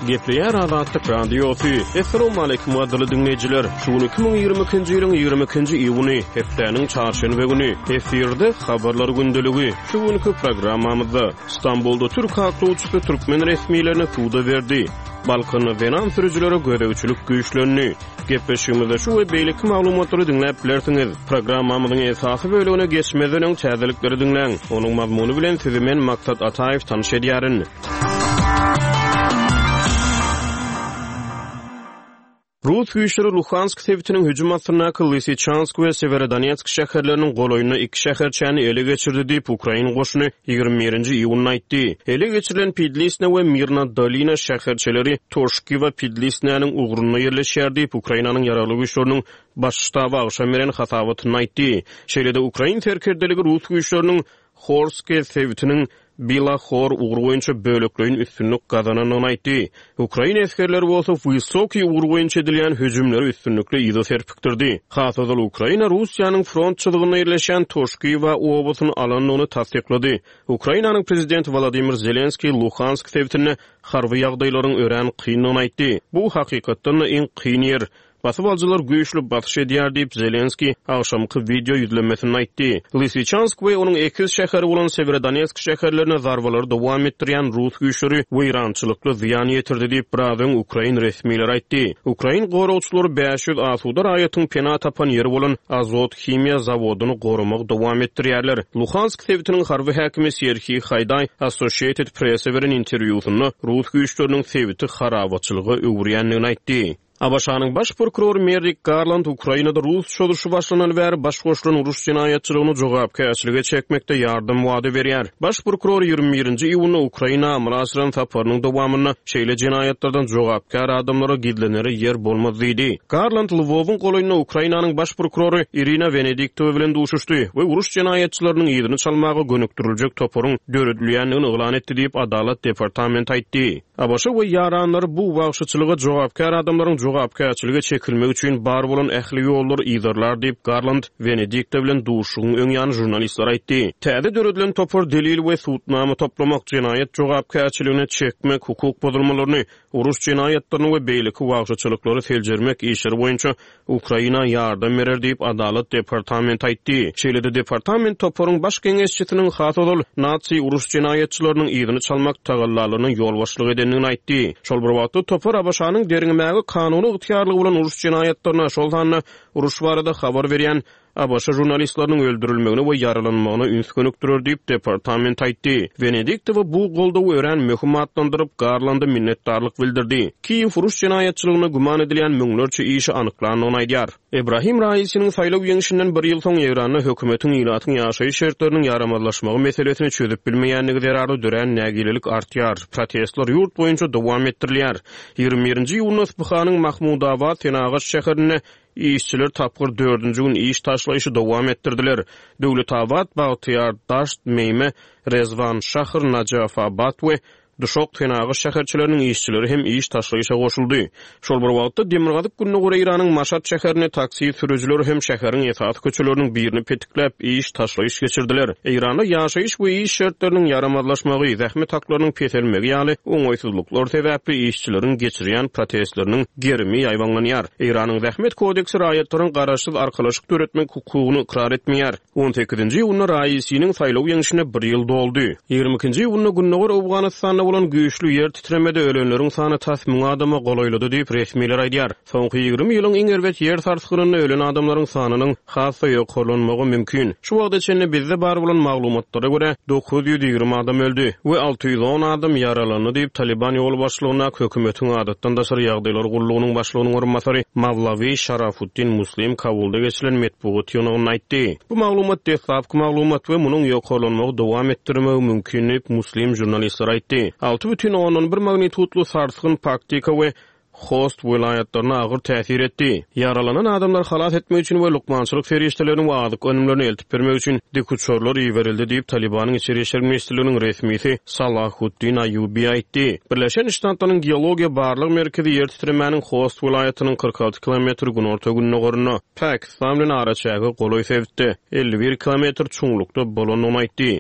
Gepleýär Azatlyk Radiosy. Essalawmaleýkim gadyrly diňleýjiler! Şu gün 2022-nji ýylyň 22-nji iýuny, hepdäniň çarşenbe güni. Efirde Habarlar gündeligi. Şu günki programmamyzda, Stambulda türk aklawçysy türkmen resmilerini suda berdi. Balkanda zenan sürüjilere gözegçilik güýçlendi. Gepleşigimizde şu we beýleki maglumatlary diňläp bilersiňiz. Programmamyzyň esasy bölegine geçmezden öň täzelikleri diňläň. Onuň mazmuny bilen sizi men Maksat Ataýew tanyş edýärin. Rus güýçleri Luhansk sebitiniň hüjüm astyndaky Lysyçansk we Sewerodonetsk şäherleriniň golaýynda iki şäherçäni ele geçirdi diýip, ukrain goşuny 21-nji iýunda aýtdy. Ele geçirilen Pidlisne we Mirna Dolina şäherçeleri Toşkiwa Pidlisnäniň ugrunda ýerleşýär diýip, Ukrainanyň Ýaragly Güýçleriniň Baş ştaby agşam beren hasabatynda aýtdy. Şeýle-de ukrain serkerdeligi rus güýçleriniň Horske sebitiniň Bila Hor ugry boýunça bölekleýin üstünlik gazanandygyny aýtdy. Ukrain esgerleri bolsa Wysokiý ugry boýunça edilýän hüjümleri üstünlikli yza serpikdirdi. Has ozal Ukraina Russiýanyň front çyzygynda ýerleşýän Toşkiwa obasyny alandygyny tassyklady. Ukrainanyň prezidenti Wolodymyr Zelenskiý Luhansk sebitinde harby ýagdaýlaryň örän kyndygyny aýtdy. Bu hakykatdan-da iň kyn ýer. Basybalyjylar güýçli basyş edýär diýip, Zelenskiý agşamky wideo ýüzlenmesinde aýtdy. Lysyçansk we onuň ekiz şäheri bolan Sewerodonetsk şäherlerine zarbalary dowam etdirýän rus güýçleri weýrançylykly zyýan ýetirdi diýip, biraz öň ukrain resmileri aýtdy. Ukrain goragçylary 500 asuda raýatyň pena tapan ýeri bolan Azot himiýa zawodyny goramagy dowam etdirýärler. Luhansk sebitiniň harby häkimi Serhiý Haýdaý Associated Press-e beren interwýusynda rus güýçleriniň sebiti harabaçylyga öwürýändigini aýtdy. ABŞ-nyň Baş prokurory Merrik Garland Ukrainada rus çozuşy başlanaly bäri baş goşulan uruş jenaýatçylygyny jogapkärçilige çekmekde ýardam wada berýär. Baş prokuror 21-nji iýunda Ukraina amala aşyran saparynyň dowamynda şeýle jenaýatlardan jogapkär adamlara gizlenere ýer bolmaz diýdi. Garland Lwowyň golaýynda Ukrainanyň Baş prokurory Irina Wenediktowa bilen duşuşdy we uruş jenaýatçylarynyň yzyny çalmaga gönükdiriljek toparyň döredilýändigini yglan etdi diýip, Adalat departamenti aýtdy. ABŞ we ýaranlary bu wagşyçylyga jogapkär adamlaryň jogapkärçilige çekilmegi üçin bar bolan ähli ýollary yzarlar diýip, Garland Wenedikta bilen duşuşygyň öň ýany žurnalistlere aýtdy. Täze döredilen topar delil we sudnama toplamak, jenaýat jogapkärçiligine çekmek, hukuk bozulmalaryny, uruş jenaýatlaryny we beýleki wagşyçylyklary seljermek işleri boýunça Ukraina ýardam berer diýip, Adalat departamenti aýtdy. Şeýle-de departament toparyň baş geňeşçisiniň has ozal nazi uruş jenaýatçylarynyň yzyny çalmak tagallalaryna ýolbaşçylyk edendigini aýtdy. Şol bir wagtda, topar ABŞ-nyň derňemäge kanuny ygtyýarlygy bolan uruş jenaýatlaryna, şol sanda uruş barada habar berýän ABŞ žurnalistleriniň öldürilmegine we ýaralanmagyna üns gönükdirer diýip, departament aýtdy. Wenediktowa bu goldawy örän möhüm atlandyryp, Garlanda minnetdarlyk bildirdi. Kiýew uruş jenaýatçylygynda güman edilýän müňlerçe işi anyklandygyny aýdýar. Ebrahim Raisiniň saýlaw ýeňşinden bir ýyl soň Eýranda hökümetiň ilatyň ýaşaýyş şertleriniň ýaramazlaşmagy meselesini çözüp bilmeýändigi zerarly dörän nägilelik artýar, protestler ýurt boýunça dowam etdirilýär. 21-nji iýunda Yspyhanyň Mahmudabad senagat şäherinde Işçiler tapgyr dördünji gün iş taşlaýşy dowam etdirdiler. Döwletabat, Bagtyýar, Daşt, Meýme, Rezwan, Şahr, Najafabat we Duşak senagat şäherçeleriniň işçileri hem iş taşlaýşa goşuldy. Şol bir wagtda, demirgazyk-gündogar Eýranyň Maşat şäherinde taksi sürüjileri hem şäheriň esasy köçeleriniň birini petikläp, iş taşlaýyş geçirdiler. Eýranda ýaşaýyş we iş şertleriniň ýaramazlaşmagy, zähmet haklarynyň peselmegi ýaly oňaýsyzlyklar sebäpli işçileriň geçirýän protestleriniň gerimi ýaýbaňlanýar. Eýranyň Zähmet kodeksi raýatlaryň garaşsyz arkalaşyk döretmek hukugyny ykrar etmeýär. On sekizinji iýunda Raisiniň saýlaw ýeňşine bir ýyl doldy. 22-nji iýunda gündogar Owganystanda bolan güýçli ýer titremede ölenleriň sany tas müň adama golaýlady diýip, resmiler aýdýar. Soňky 20 ýylyň iň erbet ýer sarsgynynda ölen adamlaryň sanynyň has-da ýokarlanmagy mümkin. Şu wagta çenli bizde bar bolan maglumatlara görä, 920 adam öldi we 610 adam ýaralandy diýip, Talyban ýolbaşçylygyndaky hökümetiň adatdan daşary ýagdaýlar gullugynyň başlygynyň orunbasary Mawlawi Şarafuddin Muslim Kabulda geçirilen metbugat ýygnagynda aýtdy. Bu maglumat deslapky maglumat we munuň ýokarlanmagy dowam etdirmegi mümkin diýip, Muslim žurnalistlere aýtdy. 6,1 magnitudly sarsgyn Paktika we Host welaýatlaryna agyr täsir etdi. Ýaralanan adamlary halas etmek üçin we lukmançylyk serişdelerini we azyk önümlerini eltip bermek üçin dikuçarlar iberildi diýip, Talybanyň Içeri işler ministrliginiň resmisi Salahuddin Aýubi aýtdy. Birleşen Ştatlaryň Geologiýa barlag merkezi ýer titremäniň Host welaýatynyň 46 kilometr günorta-gündogarynda, Pakistan bilen araçäge golaý sebitde, 51 kilometr çuňlukda bolandygyny aýtdy.